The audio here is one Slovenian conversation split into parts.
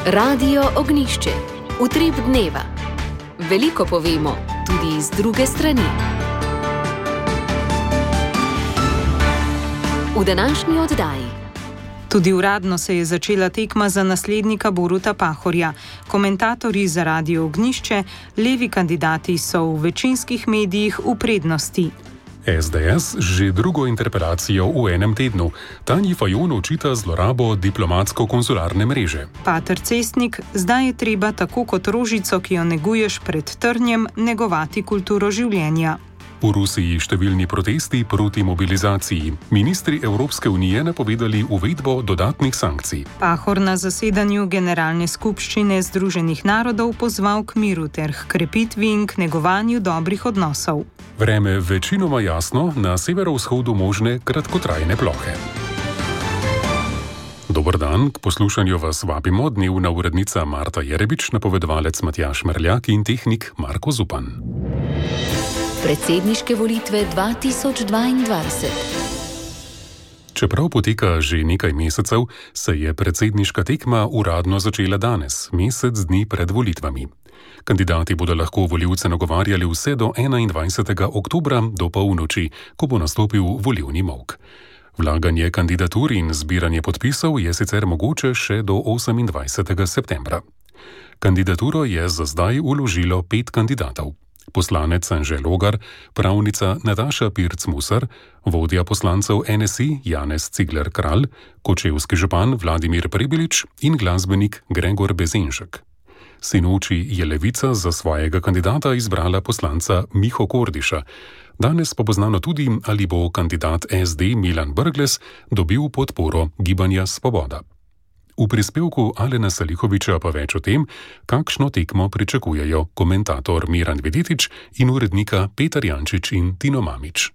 Radio Ognišče, utrip dneva. Veliko povemo, tudi iz druge strani. V današnji oddaji. Tudi uradno se je začela tekma za naslednika Boruta Pahorja. Komentatorji za Radio Ognišče, levi kandidati so v večinskih medijih v prednosti. SDS že drugo interpelacijo v enem tednu. Tanji Fajon očita zlorabo diplomatsko-konzularne mreže. Pater Cestnik, zdaj je treba tako kot rožico, ki jo neguješ pred trnjem, negovati kulturo življenja. V Rusiji številni protesti proti mobilizaciji. Ministri Evropske unije napovedali uvedbo dodatnih sankcij. Pahor na zasedanju Generalne skupščine Združenih narodov pozval k miru ter k krepitvi in k negovanju dobrih odnosov. Vreme večinoma jasno, na severovzhodu možne kratkotrajne plohe. Dober dan, k poslušanju vas vabimo dnevna urednica Marta Jerebič, napovedovalec Matjaž Merljak in tehnik Marko Zupan. Predsedniške volitve 2022. Čeprav poteka že nekaj mesecev, se je predsedniška tekma uradno začela danes, mesec dni pred volitvami. Kandidati bodo lahko volivce nagovarjali vse do 21. oktobra do polnoči, ko bo nastopil volilni molk. Vlaganje kandidatur in zbiranje podpisov je sicer mogoče še do 28. septembra. Kandidaturo je za zdaj vložilo 5 kandidatov. Poslanec Anže Logar, pravnica Nataša Pirc-Musar, vodja poslancev NSI Janez Cigler-Kralj, kočevski župan Vladimir Prebilič in glasbenik Gregor Bezenšek. Sinoči je Levica za svojega kandidata izbrala poslanca Miho Kordiša. Danes pa bo znano tudi, ali bo kandidat SD Milan Brglez dobil podporo Gibanja Svoboda. V prispevku Alena Salihoviča pa več o tem, kakšno tekmo pričakujejo komentator Miran Videtič in urednika Petar Jančič in Tino Mamič.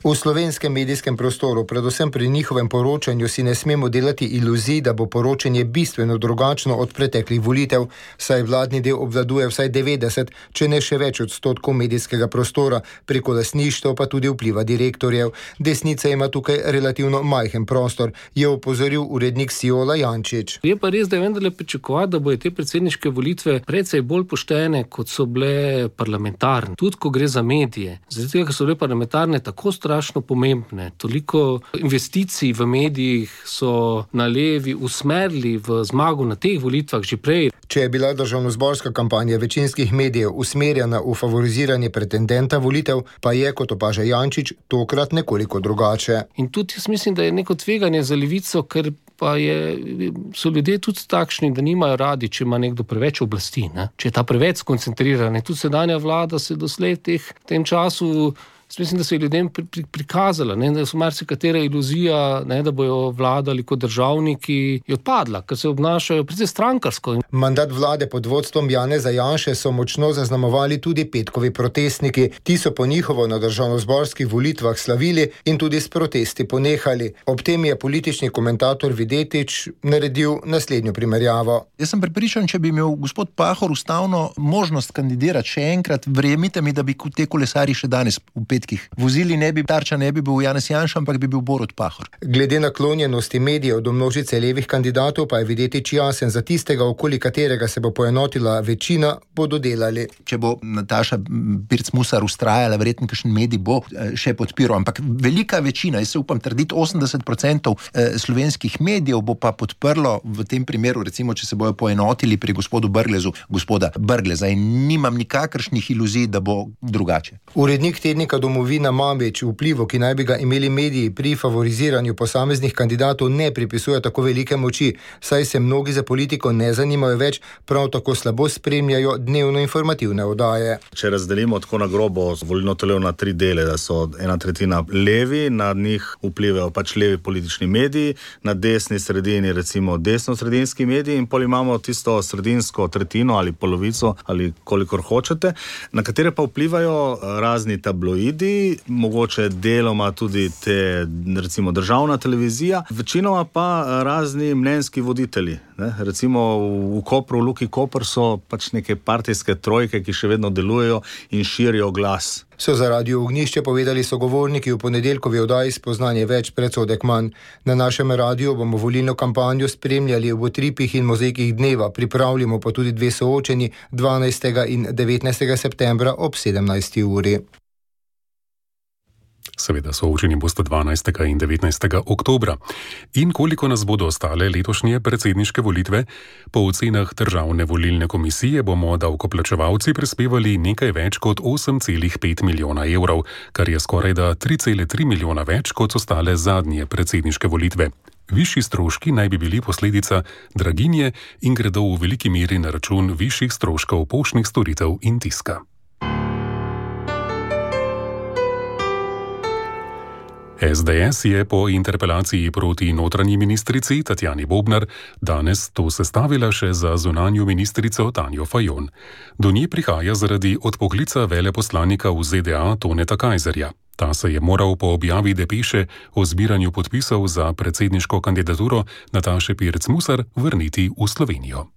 V slovenskem medijskem prostoru, predvsem pri njihovem poročanju, si ne smemo delati iluzij, da bo poročanje bistveno drugačno od preteklih volitev, saj vladni del obvladuje vsaj 90, če ne še več odstotkov medijskega prostora, preko lastništva pa tudi vpliva direktorjev. Desnica ima tukaj relativno majhen prostor, je opozoril urednik Siola Jančič. Je pa res, da je vendarle pričakovati, da bodo te predsedniške volitve precej bolj poštene, kot so bile parlamentarne. Tudi ko gre za medije. Zato, ker so bile parlamentarne tako strašno pomembne. Toliko investicij v medijih so na levi usmerili v zmago na teh volitvah že prej. Če je bila državnozborska kampanja večinskih medijev usmerjena v favoriziranje pretendenta volitev, pa je, kot opaža Jančič, tokrat nekoliko drugače. In tudi jaz mislim, da je neko tveganje za levico, ker pa so ljudje tudi takšni, da nimajo radi, če ima nekdo preveč oblasti, ne? Če je ta preveč skoncentriran. Tudi sedanja vlada se doslej v tem času, mislim, da se je ljudem prikazala, ne, da so marsikatera iluzija, ne, da bojo vladali kot državniki, je odpadla, ker se obnašajo precej strankarsko. Mandat vlade pod vodstvom Janeza Janše so močno zaznamovali tudi petkovi protestniki. Ti so po njihovo na državnozborskih volitvah slavili in tudi s protesti ponehali. Ob tem je politični komentator Videtič naredil naslednjo primerjavo. Jaz sem prepričan, če bi imel gospod Pahor ustavno možnost kandidirati še enkrat, verjemite mi, da bi te kolesari še danes v petkih vozili, Tarča ne bi bil Janez Janša, ampak bi bil Borut Pahor. Glede naklonjenosti medijev do množice levih kandidatov pa je Videtič jasen, za tistega, okoli katerega se bo poenotila večina, bodo delali. Če bo Nataša Pirc-Musar ustrajala, verjetno kakšen medij bo še podpiral, ampak velika večina, jaz se upam trditi 80% slovenskih medijev bo pa podprlo v tem primeru, recimo, če se bojo poenotili pri gospoda Brgleza, in nimam nikakršnih iluzij, da bo drugače. Urednik tednika Domovina Mamič vplivu, ki naj bi ga imeli mediji pri favoriziranju posameznih kandidatov, ne pripisuje tako velike moči, saj se mnogi za politiko ne zanimajo več, prav tako slabo spremljajo dnevno informativne oddaje. Če razdelimo tako na grobo volilno telo na 3 dele, da so 1/3 levi, na njih vplivajo levi politični mediji, na desni sredini recimo desno-sredinski mediji in pol imamo tisto sredinsko tretjino ali polovico ali kolikor hočete, na katere pa vplivajo razni tabloidi, mediji, mogoče deloma tudi te, recimo, državna televizija, večinoma pa razni mnenjski voditelji. Ne? Recimo v Kopru, v Luki Koper so pač neke partijske trojke, ki še vedno delujejo in širijo glas. So za Radio Ognjišče povedali sogovorniki v ponedeljkovi oddaji Spoznanje več, predsodek manj. Na našem radiju bomo volilno kampanjo spremljali v utripih in mozaikih dneva, pripravljamo pa tudi 2 soočenji 12. in 19. septembra ob 17. uri. Seveda soočeni boste 12. in 19. oktobra. In koliko nas bodo ostale letošnje predsedniške volitve? Po ocenah Državne volilne komisije bomo davkoplačevalci prispevali nekaj več kot 8,5 milijona evrov, kar je skorajda 3,3 milijona več kot ostale zadnje predsedniške volitve. Višji stroški naj bi bili posledica draginje in gredo v veliki meri na račun višjih stroškov poštnih storitev in tiska. SDS je po interpelaciji proti notranji ministrici Tatjani Bobnar danes to sestavila še za zunanjo ministrico Tanjo Fajon. Do nje prihaja zaradi odpoklica veleposlanika v ZDA Toneta Kajzerja. Ta se je moral po objavi depeše o zbiranju podpisov za predsedniško kandidaturo Nataše Pirc Musar vrniti v Slovenijo.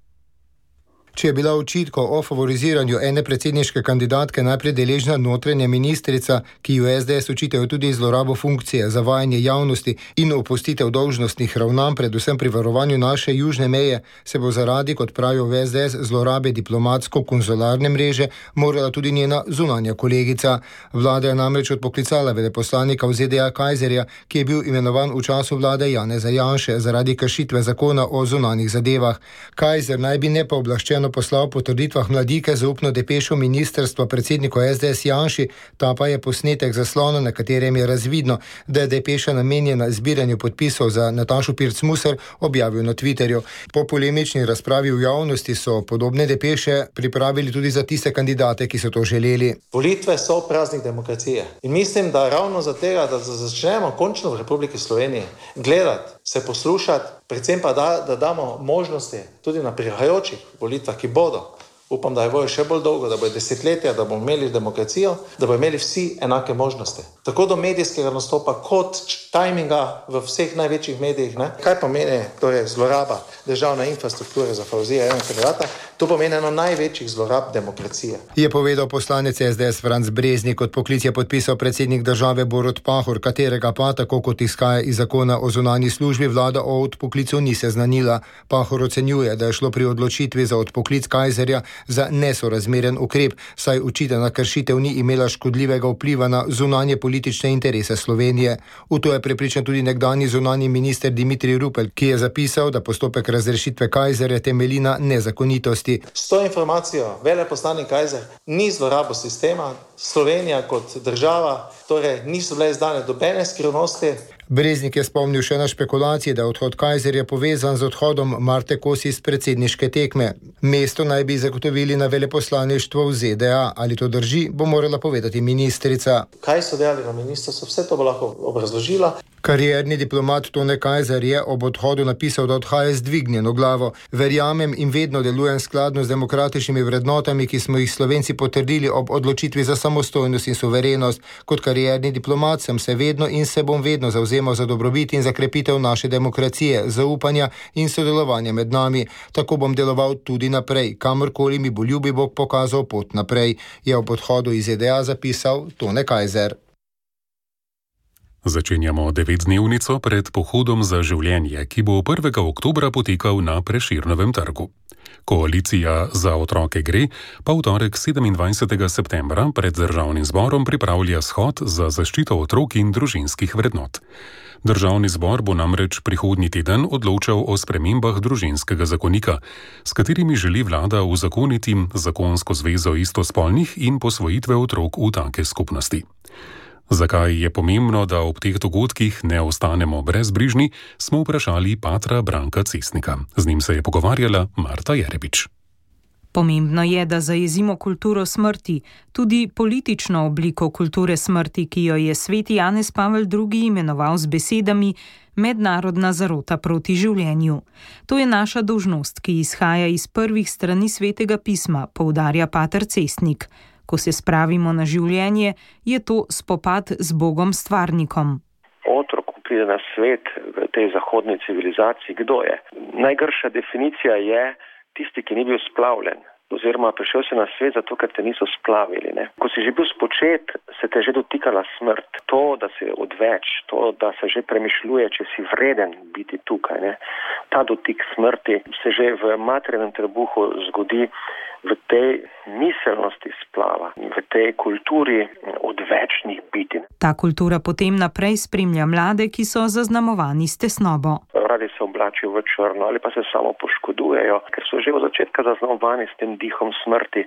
Če je bila očitkov o favoriziranju ene predsedniške kandidatke najprej deležna notranja ministrica, ki jo SDS očitajo tudi zlorabo funkcije, zavajanje javnosti in opustitev dolžnostnih ravnanj, predvsem pri varovanju naše južne meje, se bo zaradi, kot pravijo v SDS, zlorabe diplomatsko-konzularne mreže morala tudi njena zunanja kolegica. Vlada je namreč odpoklicala veleposlanika v ZDA Kajzerja, ki je bil imenovan v času vlade Janeza Janše zaradi kršitve zakona o zunanjih zadevah. Kajzer naj bi nepooblaščeno poslal po trditvah Mladike zaupno depešo ministrstva predsedniku SDS Janši, ta pa je posnetek zaslona, na katerem je razvidno, da je depeša namenjena zbiranju podpisov za Natašo Pirc Musar, objavil na Twitterju. Po polemični razpravi v javnosti so podobne depeše pripravili tudi za tiste kandidate, ki so to želeli. Volitve so praznik demokracije in mislim, da ravno za tega, da začnemo končno v Republiki Sloveniji gledati, se poslušati, predvsem pa da damo možnosti tudi na prihajajočih volitvah, ki bodo. Upam, da je bojo še bolj dolgo, da bojo desetletja, da bomo imeli demokracijo, da bojo imeli vsi enake možnosti. Tako do medijskega nastopa, kot tajminga v vseh največjih medijih. Ne? Kaj pomeni torej zloraba državne infrastrukture za favoriziranega enega kandidata? To pomeni eno največjih zlorab demokracije. Je povedal poslanec SDS Franc Breznik. Odpoklic je podpisal predsednik države Borut Pahor, katerega pa, tako kot izhaja iz zakona o zunanji službi, vlada o odpoklicu ni seznanila. Pahor ocenjuje, da je šlo pri odločitvi za odpoklic Kajzerja za nesorazmeren ukrep, saj očitana kršitev ni imela škodljivega vpliva na zunanje politične interese Slovenije. V to je prepričan tudi nekdanji zunanji minister Dimitrij Rupel, ki je zapisal, da postopek razrešitve Kajzerja temelji na nezakonitosti. S to informacijo veleposlanik Kajzer ni zlorabo sistema, Slovenija kot država, torej niso bile izdane dobene skrivnosti. Breznik je spomnil še na špekulacije, da je odhod Kajzerja povezan z odhodom Marte Kos iz predsedniške tekme. Mesto naj bi zagotovili na veleposlaništvo v ZDA. Ali to drži, bo morala povedati ministrica. Kaj so delali na ministrstvu, vse to bo lahko obrazložila. Karierni diplomat Tone Kajzer je ob odhodu napisal, da odhaja z dvignjeno glavo. Verjamem in vedno delujem skladno z demokratičnimi vrednotami, ki smo jih Slovenci potrdili ob odločitvi za samostojnost in suverenost. Kot karierni diplomat sem se vedno in se bom vedno zavzemal za dobrobit in za krepitev naše demokracije, zaupanja in sodelovanja med nami. Tako bom deloval tudi naprej, kamorkoli mi bo ljubi Bog pokazal pot naprej, je ob odhodu iz ZDA zapisal Tone Kajzer. Začenjamo 9-dnevnico pred pohodom za življenje, ki bo 1. oktobra potekal na Prešernovem trgu. Koalicija Za otroke gre pa v torek 27. septembra pred Državnim zborom pripravlja shod za zaščito otrok in družinskih vrednot. Državni zbor bo namreč prihodnji teden odločal o spremembah družinskega zakonika, s katerimi želi vlada uzakoniti zakonsko zvezo istospolnih in posvojitve otrok v take skupnosti. Zakaj je pomembno, da ob teh dogodkih ne ostanemo brezbrižni, smo vprašali patra Branka Cesnika. Z njim se je pogovarjala Marta Jerebič. Pomembno je, da zajezimo kulturo smrti, tudi politično obliko kulture smrti, ki jo je sveti Janez Pavel II. Imenoval z besedami mednarodna zarota proti življenju. To je naša dolžnost, ki izhaja iz prvih strani svetega pisma, poudarja pater Cesnik. Ko se spravimo na življenje, je to spopad z Bogom stvarnikom. Otrok pride na svet v tej zahodni civilizaciji. Kdo je? Najgrša definicija je tisti, ki ni bil splavljen. Oziroma prišel si na svet zato, ker te niso splavili. Ne? Ko si že bil spočet, se te že dotikala smrt. To, da si odveč, to, da se že premišljuje, če si vreden biti tukaj. Ne? Ta dotik smrti se že v materinem trebuhu zgodi v tej miselnosti splava, v tej kulturi odvečnih biti. Ta kultura potem naprej spremlja mlade, ki so zaznamovani s tesnobo. Radi se oblačijo v črno ali pa se samo poškodujejo, ker so že od začetka zaznamovani s tem dihom smrti.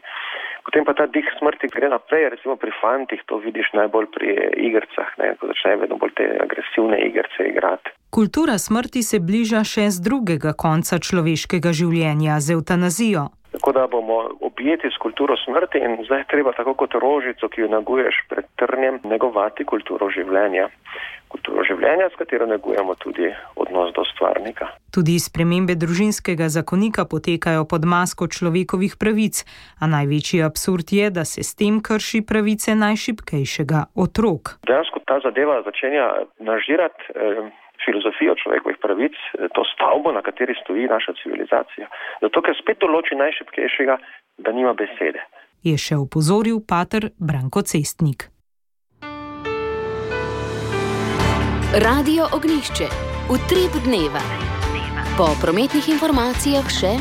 Potem pa ta dih smrti gre naprej, recimo pri fantih, to vidiš najbolj pri igrcah, ne, ko začnejo vedno bolj te agresivne igrce igrati. Kultura smrti se bliža še z drugega konca človeškega življenja, z evtanazijo. Tako da bomo objeti s kulturo smrti in zdaj treba tako kot rožico, ki jo neguješ pred trnjem, negovati kulturo življenja. Kulturo življenja, s katero negujemo tudi odnos do stvarnika. Tudi spremembe družinskega zakonika potekajo pod masko človekovih pravic, a največji absurd je, da se s tem krši pravice najšibkejšega, otrok. Dejansko ta zadeva začenja nažirati filozofijo človekovih pravic, to stavbo, na kateri stoji naša civilizacija. Zato, ker spet določi najšibkejšega, da nima besede. Je še opozoril pater Branko Cestnik. Radio Ognjišče. Utrip dneva. Po prometnih informacijah še...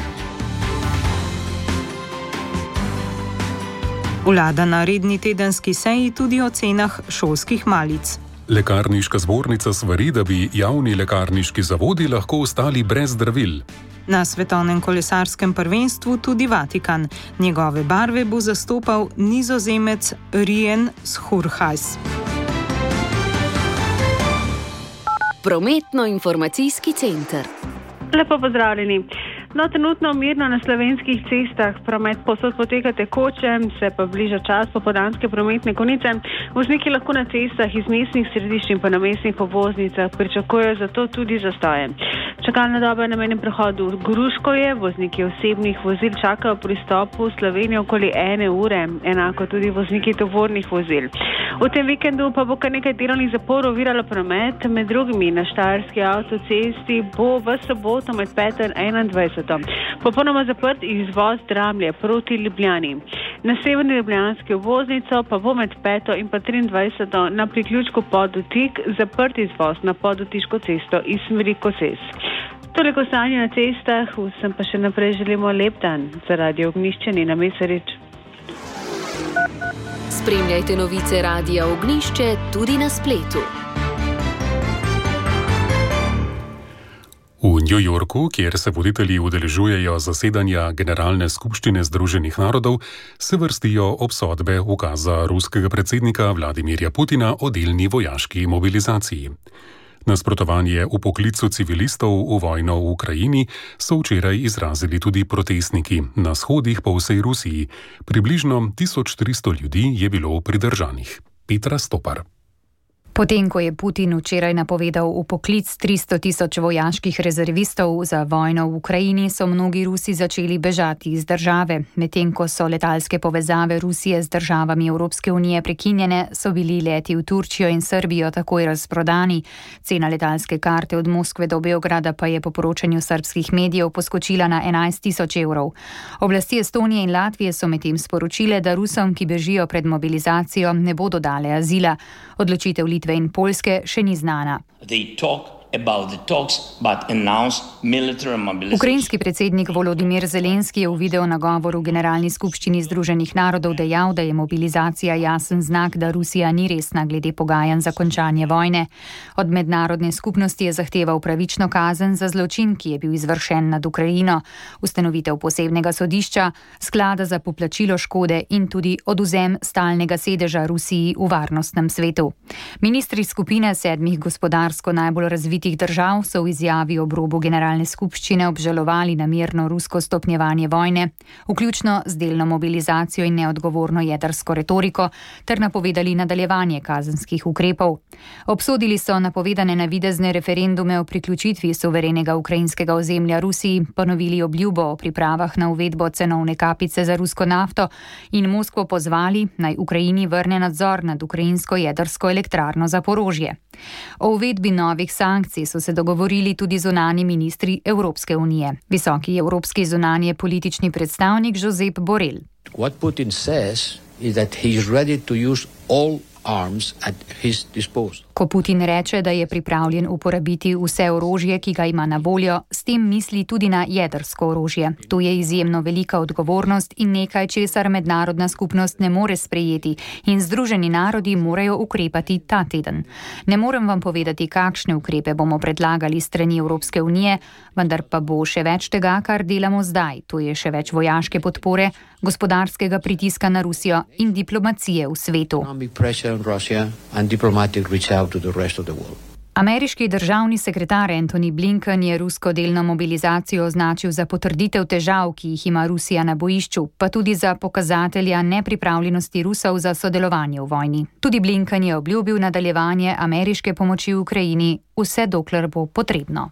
Vlada na redni tedenski seji tudi o cenah šolskih malic. Lekarniška zbornica svari, da bi javni lekarniški zavodi lahko ostali brez zdravil. Na svetovnem kolesarskem prvenstvu tudi Vatikan. Njegove barve bo zastopal Nizozemec Rien Schurhajs. Prometno-informacijski center. Lepo pozdravljeni. No, trenutno mirno na slovenskih cestah, promet povsod poteka tekoče, se pa bliža čas popoldanske prometne konice. Vozniki lahko na cestah iz mestnih središč in pa na mestnih obvoznicah pričakujejo zato tudi zastoje. Čakalna doba na mejnem prehodu Gruškovje, vozniki osebnih vozil čakajo pri vstopu v Slovenijo okoli 1 ure, enako tudi vozniki tovornih vozil. V tem vikendu pa bo kar nekaj delovnih zaporov oviralo promet, med drugimi na Štajerski avtocesti bo v soboto med 5. in 21. Popolnoma zaprt izvoz Dramlje proti Ljubljani. Na severni ljubljanski obvoznico pa bo med 5. in pa 23. na priključku Podotik zaprt izvoz na Podotiško cesto iz smeri Koses. Toliko stanje na cestah, vsem pa še naprej želimo lep dan. Za Radio Ognjišče Nina Mesarič. Spremljajte novice Radia Ognjišče tudi na spletu. V New Yorku, kjer se voditelji udeležujejo zasedanja Generalne skupščine Združenih narodov, se vrstijo obsodbe ukaza ruskega predsednika Vladimirja Putina o delni vojaški mobilizaciji. Nasprotovanje vpoklicu civilistov v vojno v Ukrajini so včeraj izrazili tudi protestniki na shodih po vsej Rusiji. Približno 1300 ljudi je bilo pridržanih. Petra Stopar. Potem, ko je Putin včeraj napovedal vpoklic 300 000 vojaških rezervistov za vojno v Ukrajini, so mnogi Rusi začeli bežati iz države. Medtem ko so letalske povezave Rusije z državami Evropske unije prekinjene, so bili leti v Turčijo in Srbijo takoj razprodani. Cena letalske karte od Moskve do Beograda pa je po poročanju srbskih medijev poskočila na 11 000 evrov. Oblasti Estonije in Latvije so medtem sporočile, da Rusom, ki bežijo pred mobilizacijo, ne bodo dale azila. Odločitev Litve in Poljske še ni znana. Ukrajinski predsednik Volodimir Zelenski je v video nagovoru v Generalni skupščini Združenih narodov dejal, da je mobilizacija jasen znak, da Rusija ni resna glede pogajanj za končanje vojne. Od mednarodne skupnosti je zahteval pravično kazen za zločin, ki je bil izvršen nad Ukrajino, ustanovitev posebnega sodišča, sklada za poplačilo škode in tudi odvzem stalnega sedeža Rusiji v varnostnem svetu. Ministri skupine 7 gospodarsko najbolj razvitih razvitih držav so v izjavi ob robu generalne skupščine obžalovali namerno rusko stopnjevanje vojne, vključno z delno mobilizacijo in neodgovorno jedrsko retoriko, ter napovedali nadaljevanje kazenskih ukrepov. Obsodili so napovedane navidezne referendume o priključitvi suverenega ukrajinskega ozemlja Rusiji, ponovili obljubo o pripravah na uvedbo cenovne kapice za rusko nafto in Moskvo pozvali, naj Ukrajini vrne nadzor nad ukrajinsko jedrsko elektrarno Zaporožje. O uvedbi novih sankcij so se dogovorili tudi zunanji ministri Evropske unije. Visoki evropski zunanje politični predstavnik Josep Borrell. What Putin says is that he is ready to use all arms at his disposal. Ko Putin reče, da je pripravljen uporabiti vse orožje, ki ga ima na voljo, s tem misli tudi na jedrsko orožje. To je izjemno velika odgovornost in nekaj, česar mednarodna skupnost ne more sprejeti in Združeni narodi morajo ukrepati ta teden. Ne morem vam povedati, kakšne ukrepe bomo predlagali strani Evropske unije, vendar pa bo še več tega, kar delamo zdaj. To je še več vojaške podpore, gospodarskega pritiska na Rusijo in diplomacije v svetu. Ameriški državni sekretar Antony Blinken je rusko delno mobilizacijo označil za potrditev težav, ki jih ima Rusija na bojišču, pa tudi za pokazatelja nepripravljenosti Rusov za sodelovanje v vojni. Tudi Blinken je obljubil nadaljevanje ameriške pomoči Ukrajini, vse dokler bo potrebno.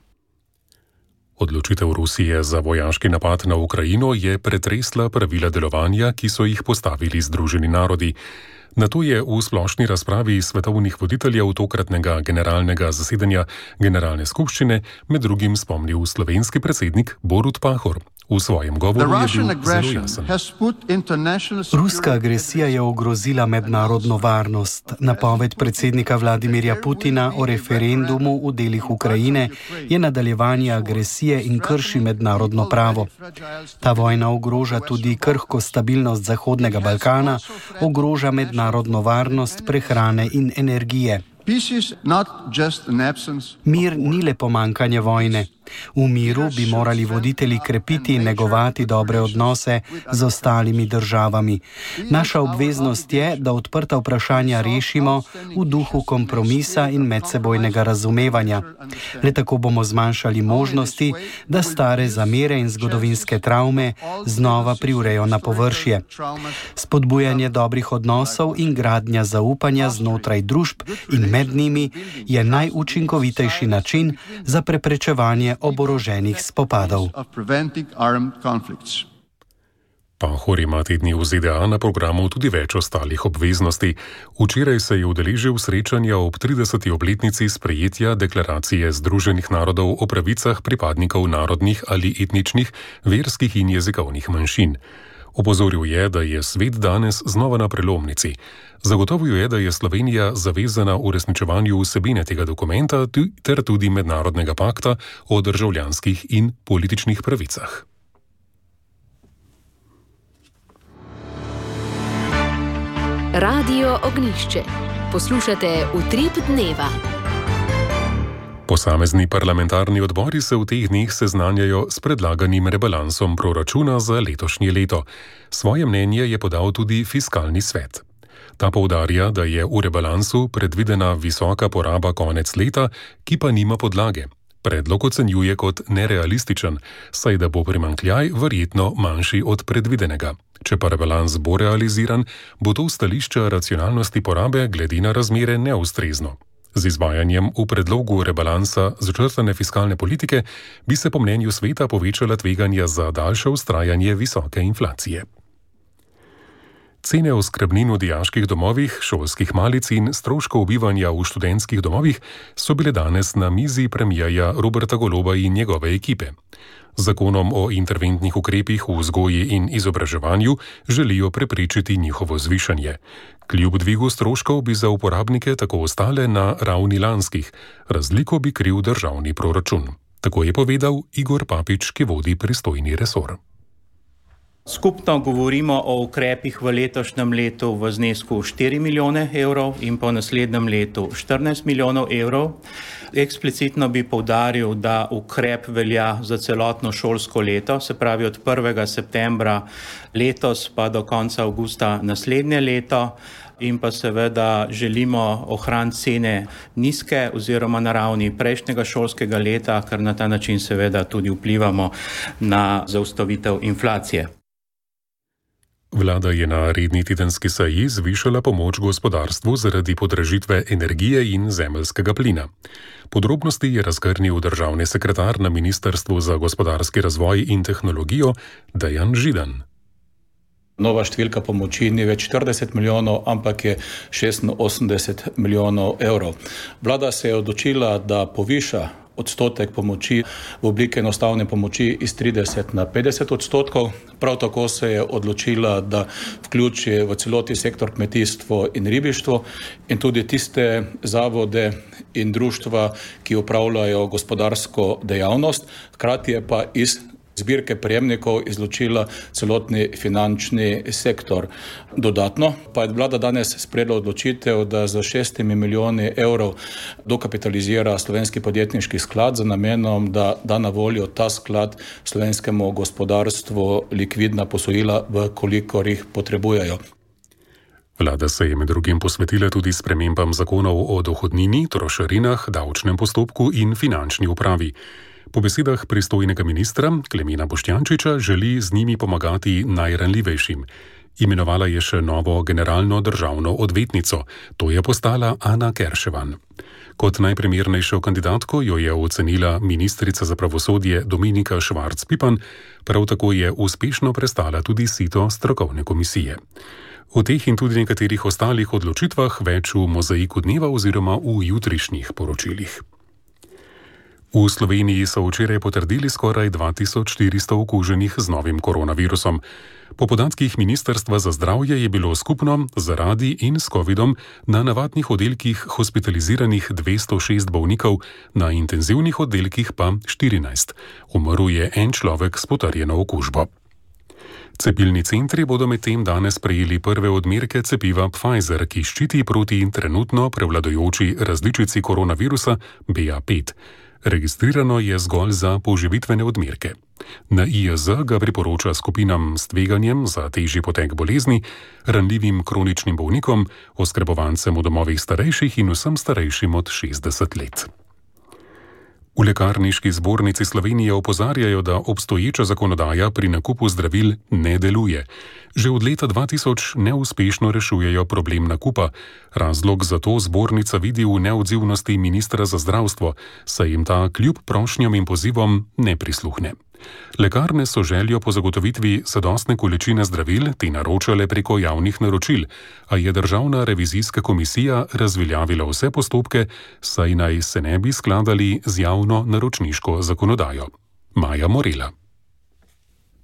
Odločitev Rusije za vojaški napad na Ukrajino je pretresla pravila delovanja, ki so jih postavili Združeni narodi. Na to je v splošni razpravi svetovnih voditeljev tokratnega generalnega zasedanja Generalne skupščine med drugim spomnil slovenski predsednik Borut Pahor. V svojem govoru je bil zelo jasen. Ruska agresija je ogrozila mednarodno varnost. Napoved predsednika Vladimirja Putina o referendumu v delih Ukrajine je nadaljevanje agresije in krši mednarodno pravo. Ta vojna ogroža tudi krhko stabilnost Zahodnega Balkana, ogroža mednarodno varnost prehrane in energije. Mir ni le pomanjkanje vojne. V miru bi morali voditelji krepiti in negovati dobre odnose z ostalimi državami. Naša obveznost je, da odprta vprašanja rešimo v duhu kompromisa in medsebojnega razumevanja. Le tako bomo zmanjšali možnosti, da stare zamere in zgodovinske travme znova privrejo na površje. Spodbujanje dobrih odnosov in gradnja zaupanja znotraj družb in med njimi je najučinkovitejši način za preprečevanje oboroženih spopadov. Pahor ima te dni v ZDA na programu tudi več ostalih obveznosti. Včeraj se je udeležil srečanja ob 30. obletnici sprejetja deklaracije Združenih narodov o pravicah pripadnikov narodnih ali etničnih, verskih in jezikovnih manjšin. Opozoril je, da je svet danes znova na prelomnici. Zagotovil je, da je Slovenija zavezana uresničevanju vsebine tega dokumenta ter tudi mednarodnega pakta o državljanskih in političnih pravicah. Radio Ognjišče. Poslušate Utrip dneva. Posamezni parlamentarni odbori se v teh dneh seznanjajo s predlaganim rebalansom proračuna za letošnje leto. Svoje mnenje je podal tudi Fiskalni svet. Ta poudarja, da je v rebalansu predvidena visoka poraba konec leta, ki pa nima podlage. Predlog ocenjuje kot nerealističen, saj da bo primanjkljaj verjetno manjši od predvidenega. Če pa rebalans bo realiziran, bo to stališče racionalnosti porabe glede na razmere neustrezno. Z izvajanjem v predlogu rebalansa začrtane fiskalne politike bi se po mnenju sveta povečala tveganja za daljše vztrajanje visoke inflacije. Cene oskrbnin v dijaških domovih, šolskih malic in stroškov bivanja v študentskih domovih so bile danes na mizi premierja Roberta Goloba in njegove ekipe. Z zakonom o interventnih ukrepih v vzgoji in izobraževanju želijo preprečiti njihovo zvišanje. Kljub dvigu stroškov bi za uporabnike tako ostale na ravni lanskih, razliko bi kril državni proračun. Tako je povedal Igor Papič, ki vodi pristojni resor. Skupno govorimo o ukrepih v letošnjem letu v znesku 4 milijone evrov in po naslednjem letu 14 milijonov evrov. Eksplicitno bi poudaril, da ukrep velja za celotno šolsko leto, se pravi od 1. septembra letos pa do konca avgusta naslednje leto. In pa seveda želimo ohraniti cene nizke oziroma na ravni prejšnjega šolskega leta, ker na ta način seveda tudi vplivamo na zaustavitev inflacije. Vlada je na redni tedenski seji zvišala pomoč gospodarstvu zaradi podražitve energije in zemeljskega plina. Podrobnosti je razgrnil državni sekretar na Ministrstvu za gospodarski razvoj in tehnologijo Dejan Židan. Nova številka pomoči ni več 40 milijonov, ampak je 86 milijonov evrov. Vlada se je odločila, da poviša odstotek pomoči v obliki enostavne pomoči iz 30 na 50 odstotkov. Prav tako se je odločila, da vključi v celoti sektor kmetijstvo in ribištvo in tudi tiste zavode in društva, ki opravljajo gospodarsko dejavnost, hkrati je pa iz zbirke prejemnikov izločila celotni finančni sektor. Dodatno pa je vlada danes sprejela odločitev, da za 6 milijoni evrov dokapitalizira Slovenski podjetniški sklad z namenom, da da na voljo ta sklad slovenskemu gospodarstvu likvidna posojila, v kolikor jih potrebujejo. Vlada se je med drugim posvetila tudi spremembam zakonov o dohodnini, trošarinah, davčnem postopku in finančni upravi. Po besedah pristojnega ministra Klemena Boštjančiča želi z njimi pomagati najranljivejšim. Imenovala je še novo generalno državno odvetnico, to je postala Ana Kerševan. Kot najprimernejšo kandidatko jo je ocenila ministrica za pravosodje Dominika Švarc-Pipan, prav tako je uspešno prestala tudi sito strokovne komisije. O teh in tudi nekaterih ostalih odločitvah več v mozaiku dneva oziroma v jutrišnjih poročilih. V Sloveniji so včeraj potrdili skoraj 2400 okuženih z novim koronavirusom. Po podatkih Ministrstva za zdravje je bilo skupno zaradi in s covidom na navadnih oddelkih hospitaliziranih 206 bolnikov, na intenzivnih oddelkih pa 14. Umrl je en človek s potrjeno okužbo. Cepilni centri bodo medtem danes prejeli prve odmerke cepiva Pfizer, ki ščiti proti trenutno prevladujoči različici koronavirusa BA5. Registrirano je zgolj za poživitvene odmerke. Na IAZ ga priporoča skupinam s tveganjem za težji potek bolezni, ranljivim kroničnim bolnikom, oskrbovancem v domovih starejših in vsem starejšim od 60 let. V Lekarniški zbornici Slovenije opozarjajo, da obstoječa zakonodaja pri nakupu zdravil ne deluje. Že od leta 2000 neuspešno rešujejo problem nakupa. Razlog za to zbornica vidi v neodzivnosti ministra za zdravstvo, saj jim ta kljub prošnjam in pozivom ne prisluhne. Lekarne so željo po zagotovitvi zadostne količine zdravil te naročale preko javnih naročil, a je Državna revizijska komisija razveljavila vse postopke, saj naj se ne bi skladali z javno naročniško zakonodajo. Maja Morela.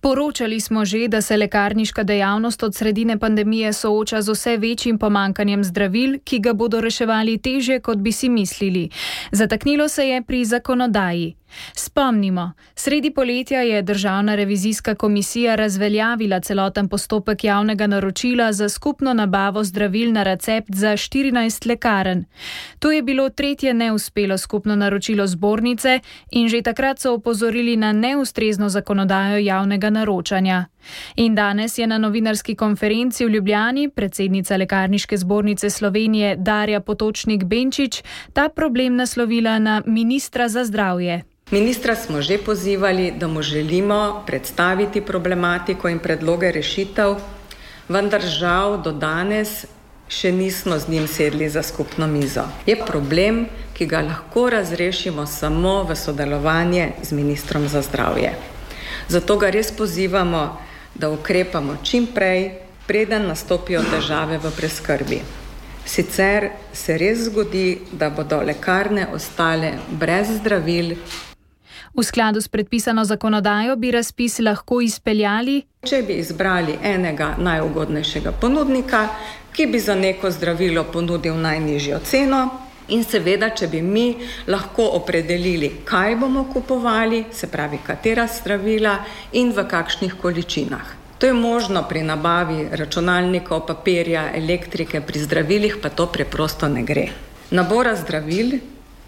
Poročali smo že, da se lekarniška dejavnost od sredine pandemije sooča z vse večjim pomankanjem zdravil, ki ga bodo reševali težje, kot bi si mislili. Zataknilo se je pri zakonodaji. Spomnimo, sredi poletja je Državna revizijska komisija razveljavila celoten postopek javnega naročila za skupno nabavo zdravil na recept za 14 lekarn. To je bilo tretje neuspelo skupno naročilo zbornice in že takrat so opozorili na neustrezno zakonodajo javnega naročanja. In danes je na novinarski konferenci v Ljubljani predsednica Lekarniške zbornice Slovenije Darja Potočnik-Benčič ta problem naslovila na ministra za zdravje. Ministra smo že pozivali, da mu želimo predstaviti problematiko in predloge rešitev, vendar žal do danes še nismo z njim sedli za skupno mizo. Je problem, ki ga lahko razrešimo samo v sodelovanje z ministrom za zdravje. Zato ga res pozivamo, da ukrepamo čim prej, preden nastopijo težave v preskrbi. Sicer se res zgodi, da bodo lekarne ostale brez zdravil. V skladu s predpisano zakonodajo bi razpis lahko izpeljali, če bi izbrali enega najugodnejšega ponudnika, ki bi za neko zdravilo ponudil najnižjo ceno, in seveda, če bi mi lahko opredelili, kaj bomo kupovali, se pravi, katera zdravila in v kakšnih količinah. To je možno pri nabavi računalnikov, papirja, elektrike, pri zdravilih pa to preprosto ne gre. Nabora zdravil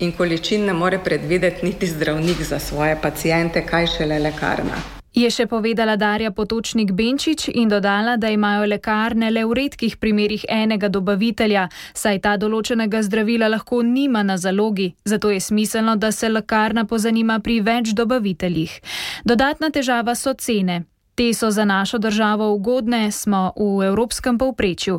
in količin ne more predvideti niti zdravnik za svoje paciente, kaj šele lekarna. Je še povedala Darja Potočnik Benčič in dodala, da imajo lekarne le v redkih primerih enega dobavitelja, saj ta določenega zdravila lahko nima na zalogi, zato je smiselno, da se lekarna pozanima pri več dobaviteljih. Dodatna težava so cene. Te so za našo državo ugodne, smo v evropskem povprečju.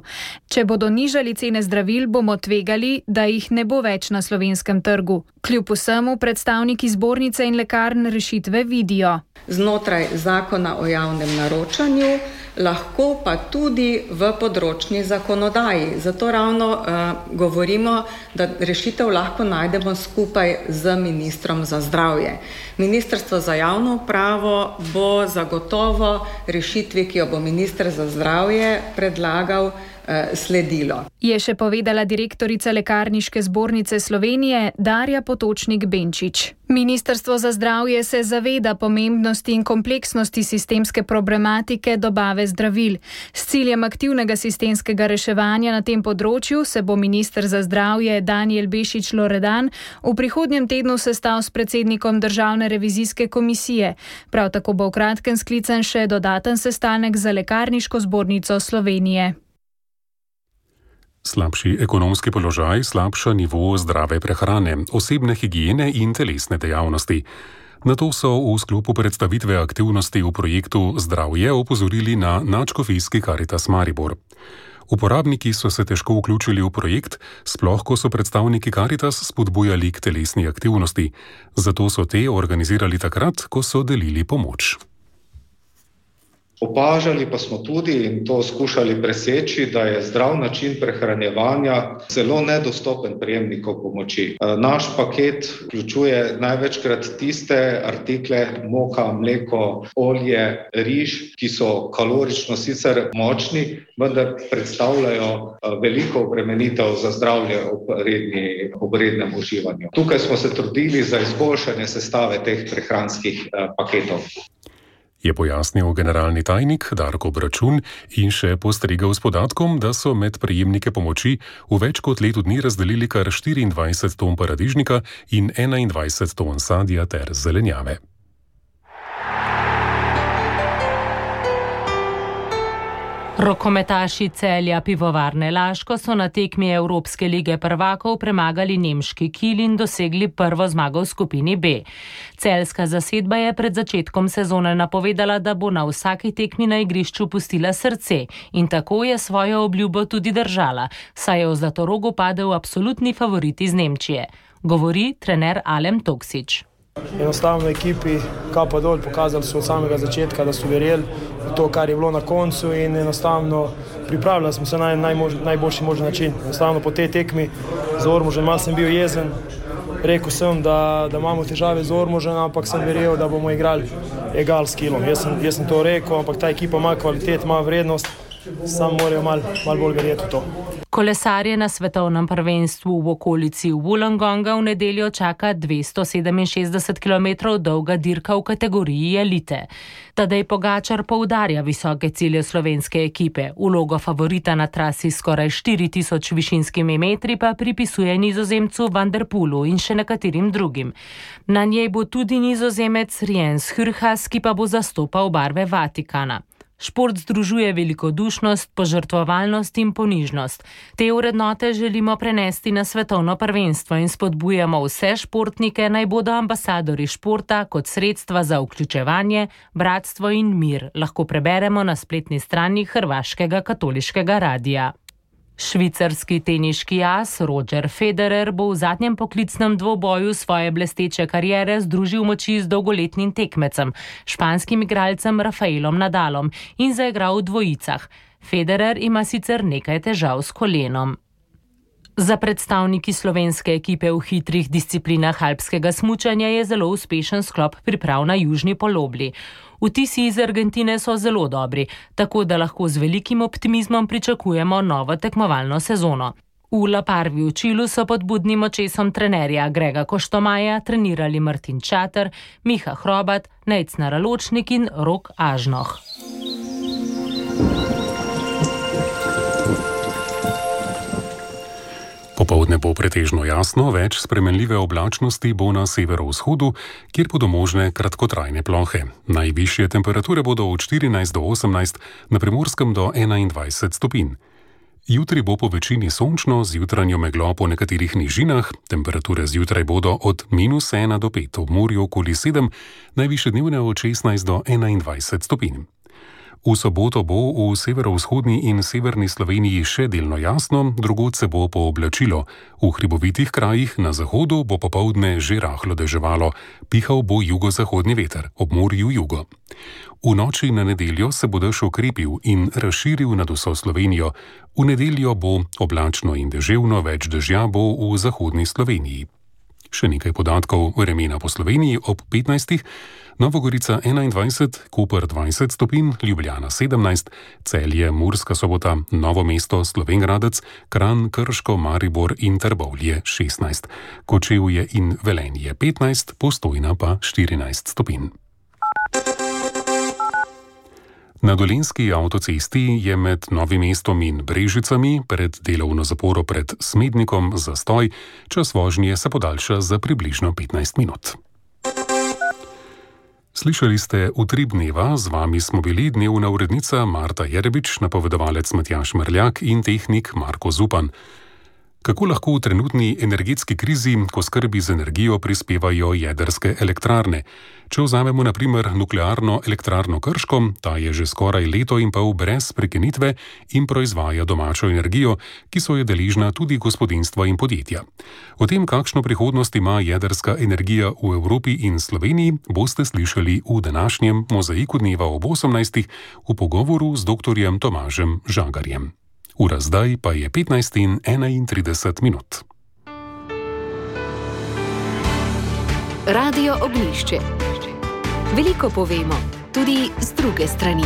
Če bodo nižali cene zdravil, bomo tvegali, da jih ne bo več na slovenskem trgu. Kljub vsemu predstavniki zbornice in lekarn rešitve vidijo. Znotraj zakona o javnem naročanju, lahko pa tudi v področni zakonodaji. Zato ravno govorimo, da rešitev lahko najdemo skupaj z ministrom za zdravje. Ministrstvo za javno upravo bo zagotovo rešitvi, ki jo bo minister za zdravje predlagal, sledilo. Je še povedala direktorica Lekarniške zbornice Slovenije Darja Potočnik Benčič. Ministrstvo za zdravje se zaveda pomembnosti in kompleksnosti sistemske problematike dobave zdravil. S ciljem aktivnega sistemskega reševanja na tem področju se bo minister za zdravje Danijel Bešič Loredan v prihodnjem tednu sestal s predsednikom Državne revizijske komisije. Prav tako bo v kratkem sklican še dodaten sestanek za Lekarniško zbornico Slovenije. Slabši ekonomski položaj slabša nivo zdrave prehrane, osebne higiene in telesne dejavnosti. Na to so v sklopu predstavitve aktivnosti v projektu Zdravje opozorili na Nadškofijski Karitas Maribor. Uporabniki so se težko vključili v projekt, sploh ko so predstavniki Karitas spodbujali k telesni aktivnosti. Zato so te organizirali takrat, ko so delili pomoč. Opažali pa smo tudi in to skušali preseči, da je zdrav način prehranjevanja zelo nedostopen prejemnikov pomoči. Naš paket vključuje največkrat tiste artikle, moka, mleko, olje, riž, ki so kalorično sicer močni, vendar predstavljajo veliko obremenitev za zdravje ob rednem uživanju. Tukaj smo se trudili za izboljšanje sestave teh prehranskih paketov. Je pojasnil generalni tajnik Darko Bračun in še postregel s podatkom, da so med prejemnike pomoči v več kot letu dni razdelili kar 24 ton paradižnika in 21 ton sadja ter zelenjave. Rokometaši Celja Pivovarne Laško so na tekmi Evropske lige prvakov premagali nemški Kiel in dosegli prvo zmago v skupini B. Celjska zasedba je pred začetkom sezone napovedala, da bo na vsaki tekmi na igrišču pustila srce in tako je svojo obljubo tudi držala, saj je v Zlatorogu padel absolutni favorit iz Nemčije. Govori trener Alem Toksič. Enostavno ekipi kapa dol, pokazali so od samega začetka, da so verjeli v to, kar je bilo na koncu in enostavno pripravljali smo se na najboljši možen način. Enostavno po tej tekmi z Ormožem malo sem bil jezen, rekel sem, da imamo težave z Ormožem, ampak sem verjel, da bomo igrali egal s Kielom. Jaz sem to rekel, ampak ta ekipa ima kvalitet, ima vrednost, samo morajo malo bolj verjeti v to. Kolesarje na svetovnem prvenstvu v okolici Wollongonga v nedeljo čaka 267 km dolga dirka v kategoriji elite. Tadej Pogačar poudarja visoke cilje slovenske ekipe. Vlogo favorita na trasi skoraj 4000 višinskimi metri pa pripisuje Nizozemcu Van der Poelu in še nekaterim drugim. Na njej bo tudi Nizozemec Riens Hürhas, ki pa bo zastopal barve Vatikana. Šport združuje velikodušnost, požrtvovalnost in ponižnost. Te vrednote želimo prenesti na svetovno prvenstvo in spodbujamo vse športnike, naj bodo ambasadori športa kot sredstva za vključevanje, bratstvo in mir, lahko preberemo na spletni strani Hrvaškega katoliškega radija. Švicarski teniški as Roger Federer bo v zadnjem poklicnem dvoboju svoje blesteče kariere združil moči z dolgoletnim tekmecem, španskim igralcem Rafaelom Nadalom in zaigral v dvojicah. Federer ima sicer nekaj težav s kolenom. Za predstavniki slovenske ekipe v hitrih disciplinah alpskega smučanja je zelo uspešen sklop priprav na južni polobli. Vtisi iz Argentine so zelo dobri, tako da lahko z velikim optimizmom pričakujemo novo tekmovalno sezono. V La Parvi v Čilu so pod budnim očesom trenerja Grega Koštomaja trenirali Martin Čater, Miha Hrobat, Nejc Naraločnik in Rok Ažnoh. Popoldne bo pretežno jasno, več spremenljive oblačnosti bo na severovzhodu, kjer bodo možne kratkotrajne plohe. Najvišje temperature bodo od 14 do 18, na Primorskem do 21 stopinj. Jutri bo po večini sončno, z jutranjo meglo po nekaterih nižinah, temperature zjutraj bodo od -1 do 5, v morju okoli 7, najvišje dnevne od 16 do 21 stopinj. V soboto bo v severovzhodni in severni Sloveniji še delno jasno, drugod se bo pooblačilo. V hribovitih krajih na zahodu bo popoldne že rahlo deževalo, pihal bo jugozahodni veter, ob morju jugo. V noči na nedeljo se bo dež okrepil in razširil nad vso Slovenijo. V nedeljo bo oblačno in deževno, več dežja bo v zahodni Sloveniji. Še nekaj podatkov vremena po Sloveniji ob 15. Nova Gorica 21, Koper 20 stopinj, Ljubljana 17, Celje, Murska Sobota, Novo mesto, Slovenj Gradec, Kranj, Krško, Maribor in Trbovlje 16, Kočevje in Velenje 15, Postojna pa 14 stopinj. Na Dolenjski avtocesti je med Novim mestom in Brežicami pred delovno zaporo pred Smednikom zastoj, čas vožnje se podaljša za približno 15 minut. Slišali ste Utrip dneva, z vami smo bili dnevna urednica Marta Jerebič, napovedovalec Matjaž Mrljak in tehnik Marko Zupan. Kako lahko v trenutni energetski krizi, ko skrbi z energijo, prispevajo jedrske elektrarne? Če vzamemo na primer nuklearno elektrarno Krško, ta je že skoraj leto in pol brez prekinitve in proizvaja domačo energijo, ki so jo deležna tudi gospodinjstva in podjetja. O tem, kakšno prihodnost ima jedrska energija v Evropi in Sloveniji, boste slišali v današnjem Mozaiku dneva ob 18. v pogovoru z dr. Tomažem Žagarjem. Ura zdaj pa je 15:31 minut. Radio Ognjišče. Veliko povemo, tudi z druge strani.